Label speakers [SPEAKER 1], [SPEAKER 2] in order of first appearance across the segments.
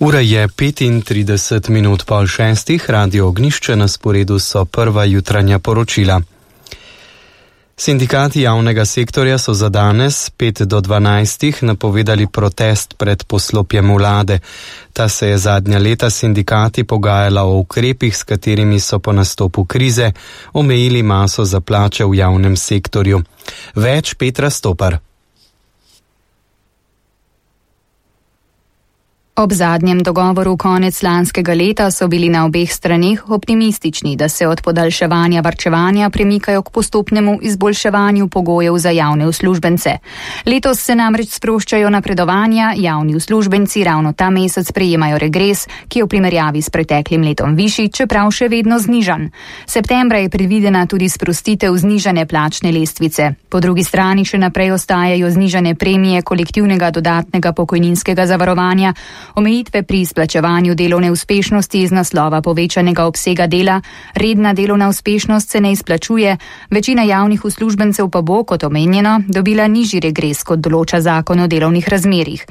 [SPEAKER 1] Ura je 35 minut pol šestih, Radio Ognjišče, na sporedu so prva jutranja poročila. Sindikati javnega sektorja so za danes 5 do 12 napovedali protest pred poslopjem vlade. Ta se je zadnja leta sindikati pogajala o ukrepih, s katerimi so po nastopu krize omejili maso za plače v javnem sektorju. Več Petra Stopar.
[SPEAKER 2] Ob zadnjem dogovoru konec lanskega leta so bili na obeh straneh optimistični, da se od podaljševanja varčevanja premikajo k postopnemu izboljševanju pogojev za javne uslužbence. Letos se namreč sproščajo napredovanja, javni uslužbenci ravno ta mesec prejemajo regres, ki je v primerjavi s preteklim letom višji, čeprav še vedno znižan. Septembra je predvidena tudi sprostitev znižane plačne lestvice. Po drugi strani še naprej ostajajo znižane premije kolektivnega dodatnega pokojninskega zavarovanja, omejitve pri izplačevanju delovne uspešnosti iz naslova povečanega obsega dela, redna delovna uspešnost se ne izplačuje, večina javnih uslužbencev pa bo, kot omenjeno, dobila nižji regres, kot določa zakon o delovnih razmerjih.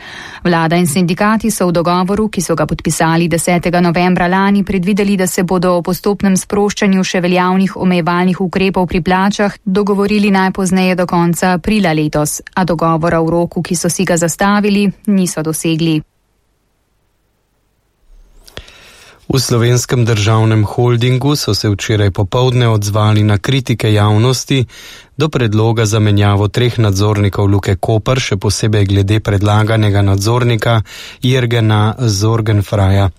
[SPEAKER 2] Vlada in sindikati so v dogovoru, ki so ga podpisali 10. novembra lani, predvideli, da se bodo o postopnem sproščanju še veljavnih omejevalnih ukrepov pri plačah dogovorili najpozneje do konca aprila letos, a dogovora v roku, ki so si ga zastavili, niso dosegli.
[SPEAKER 1] V Slovenskem državnem holdingu so se včeraj popoldne odzvali na kritike javnosti do predloga za menjavo 3 nadzornikov Luke Koper, še posebej glede predlaganega nadzornika Jürgena Sorgenfreia.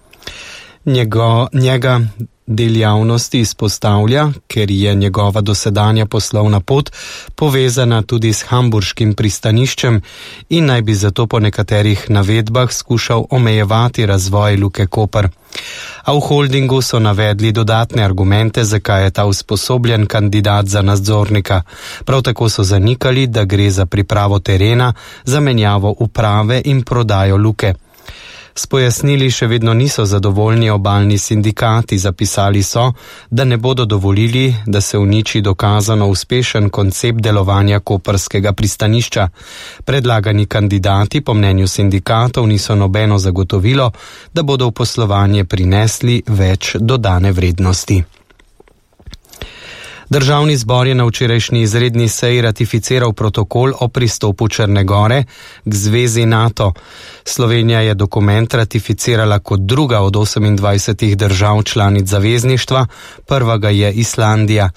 [SPEAKER 1] Njega del javnosti izpostavlja, ker je njegova dosedanja poslovna pot povezana tudi s hamburškim pristaniščem in naj bi zato po nekaterih navedbah skušal omejevati razvoj Luke Koper. A v holdingu so navedli dodatne argumente, zakaj je ta usposobljen kandidat za nadzornika. Prav tako so zanikali, da gre za pripravo terena za menjavo uprave in prodajo Luke. S pojasnili še vedno niso zadovoljni obalni sindikati, zapisali so, da ne bodo dovolili, da se uniči dokazano uspešen koncept delovanja koprskega pristanišča. Predlagani kandidati po mnenju sindikatov niso nobeno zagotovilo, da bodo v poslovanje prinesli več dodane vrednosti. Državni zbor je na včerajšnji izredni seji ratificiral protokol o pristopu Črne Gore k zvezi NATO. Slovenija je dokument ratificirala kot druga od 28 držav članic zavezništva, prva ga je Islandija.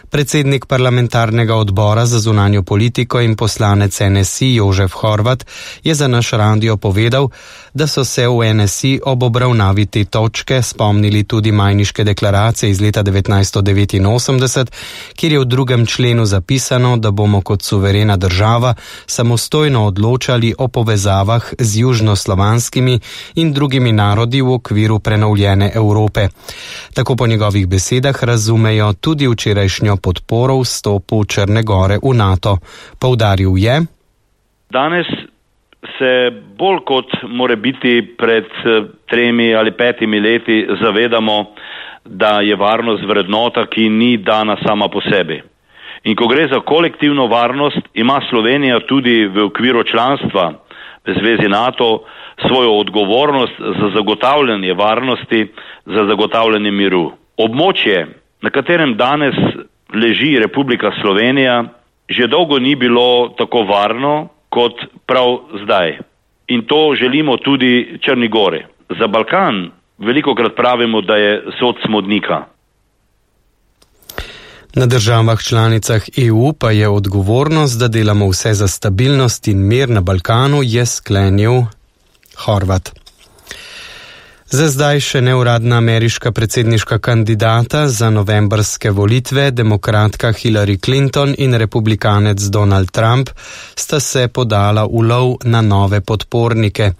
[SPEAKER 1] Predsednik parlamentarnega odbora za zunanjo politiko in poslanec NSI Jožef Horvat je za naš radio povedal, da so se v NSI ob obravnavi te točke spomnili tudi Majniške deklaracije iz leta 1989, kjer je v 2. členu zapisano, da bomo kot suverena država samostojno odločali o povezavah z južnoslovanskimi in drugimi narodi v okviru prenovljene Evrope. Tako po njegovih besedah razumejo tudi včerajšnjo podporo vstopu Črne Gore v NATO. Poudaril je:
[SPEAKER 3] Danes se bolj kot more biti pred 3 ali 5 leti zavedamo, da je varnost vrednota, ki ni dana sama po sebi. In ko gre za kolektivno varnost, ima Slovenija tudi v okviru članstva v zvezi NATO svojo odgovornost za zagotavljanje varnosti, za zagotavljanje miru. Območje, na katerem danes leži Republika Slovenija, že dolgo ni bilo tako varno kot prav zdaj. In to želimo tudi Črni Gori. Za Balkan velikokrat pravimo, da je sod smodnika.
[SPEAKER 1] Na državah članicah EU pa je odgovornost, da delamo vse za stabilnost in mir na Balkanu, je sklenil Horvat. Za zdaj še neuradna ameriška predsedniška kandidata za novembrske volitve, demokratka Hillary Clinton in republikanec Donald Trump, sta se podala v lov na nove podpornike.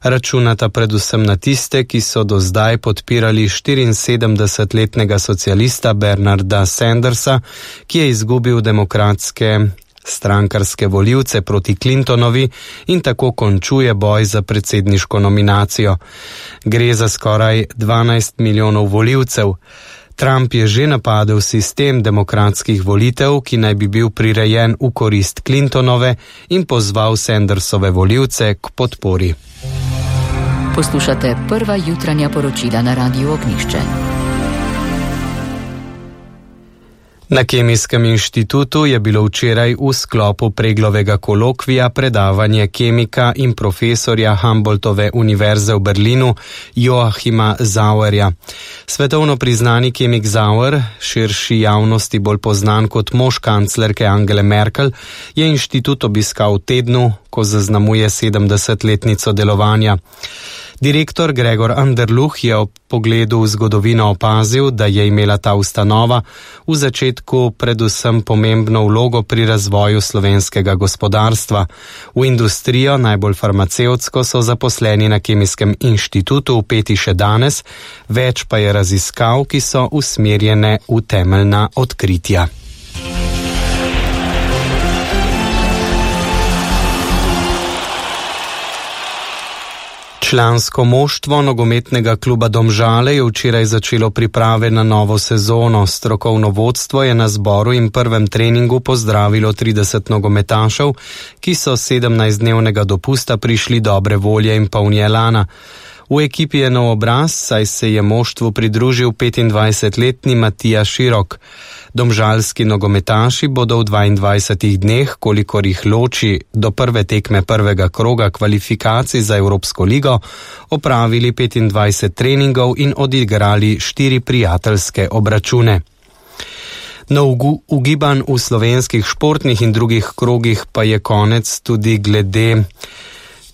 [SPEAKER 1] Računata predvsem na tiste, ki so do zdaj podpirali 74-letnega socialista Bernarda Sandersa, ki je izgubil demokratske strankarske volivce proti Clintonovi in tako končuje boj za predsedniško nominacijo. Gre za skoraj 12 milijonov volivcev. Trump je že napadel sistem demokratskih volitev, ki naj bi bil prirejen v korist Clintonove, in pozval Sandersove volivce k podpori.
[SPEAKER 4] Poslušate prva jutranja poročila na Radiu Ognjišče.
[SPEAKER 1] Na Kemijskem inštitutu je bilo včeraj v sklopu Preglovega kolokvija predavanje kemika in profesorja Humboldtove univerze v Berlinu Joachima Sauerja. Svetovno priznani kemik Sauer, širši javnosti bolj poznan kot mož kanclerke Angele Merkel, je inštitut obiskal v tednu, ko zaznamuje 70-letnico delovanja. Direktor Gregor Anderluh je ob pogledu v zgodovino opazil, da je imela ta ustanova v začetku predvsem pomembno vlogo pri razvoju slovenskega gospodarstva. V industrijo, najbolj farmacevtsko, so zaposleni na Kemijskem inštitutu vpeti še danes, več pa je raziskav, ki so usmerjene v temeljna odkritja. Člansko moštvo nogometnega kluba Domžale je včeraj začelo priprave na novo sezono. Strokovno vodstvo je na zboru in prvem treningu pozdravilo 30 nogometašev, ki so 17-dnevnega dopusta prišli dobre volje in polni elana. V ekipi je nov obraz, saj se je moštvu pridružil 25-letni Matija Širok. Domžalski nogometaši bodo v 22 dneh, kolikor jih loči do prve tekme prvega kroga kvalifikacij za Evropsko ligo, opravili 25 treningov in odigrali 4 prijateljske obračune. No, ugibanj v slovenskih športnih in drugih krogih pa je konec tudi glede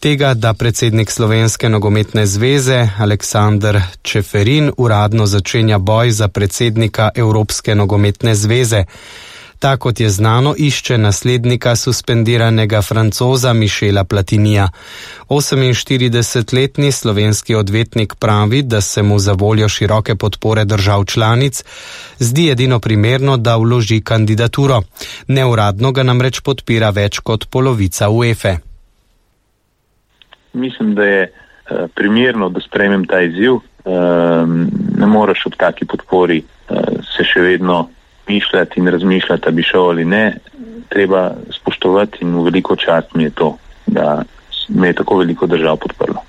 [SPEAKER 1] tega, da predsednik Slovenske nogometne zveze Aleksander Čeferin uradno začenja boj za predsednika Evropske nogometne zveze. Ta, kot je znano, išče naslednika suspendiranega Francoza Michela Platinija. 48-letni slovenski odvetnik pravi, da se mu za voljo široke podpore držav članic zdi edino primerno, da vloži kandidaturo. Neuradno ga namreč podpira več kot polovica UEFA.
[SPEAKER 5] Mislim, da je primerno, da sprejmem ta izziv. Ne moreš ob taki podpori se še vedno mišljati in razmišljati, da bi šel ali ne. Treba spoštovati in v veliko čast mi je to, da me je tako veliko držav podprlo.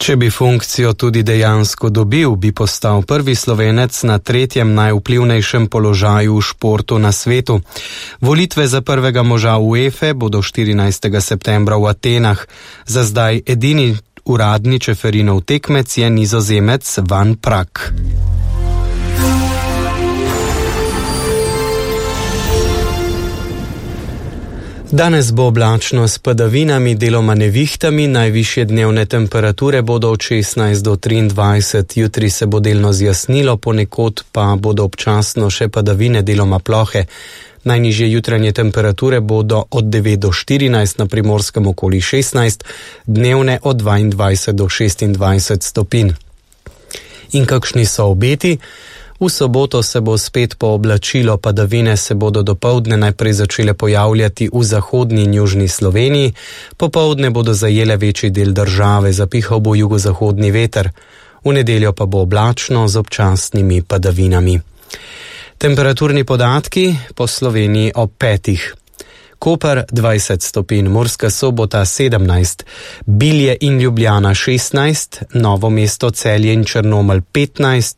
[SPEAKER 1] Če bi funkcijo tudi dejansko dobil, bi postal prvi Slovenec na 3. najvplivnejšem položaju v športu na svetu. Volitve za prvega moža UEFA bodo 14. septembra v Atenah. Za zdaj edini uradni Čeferinov tekmec je Nizozemec Van Prak. Danes bo oblačno s padavinami, deloma nevihtami, najvišje dnevne temperature bodo od 16 do 23, jutri se bo delno zjasnilo, ponekod pa bodo občasno še padavine, deloma plohe. Najnižje jutranje temperature bodo od 9 do 14, na Primorskem okoli 16, dnevne od 22 do 26 stopinj. In kakšni so obeti? V soboto se bo spet pooblačilo, padavine se bodo dopoldne najprej začele pojavljati v zahodni in južni Sloveniji, popoldne bodo zajele večji del države, zapihal bo jugozahodni veter. V nedeljo pa bo oblačno z občasnimi padavinami. Temperaturni podatki po Sloveniji ob 5. Koper 20 stopinj, Murska Sobota 17, Bilje in Ljubljana 16, Novo mesto, Celje in Črnomelj 15,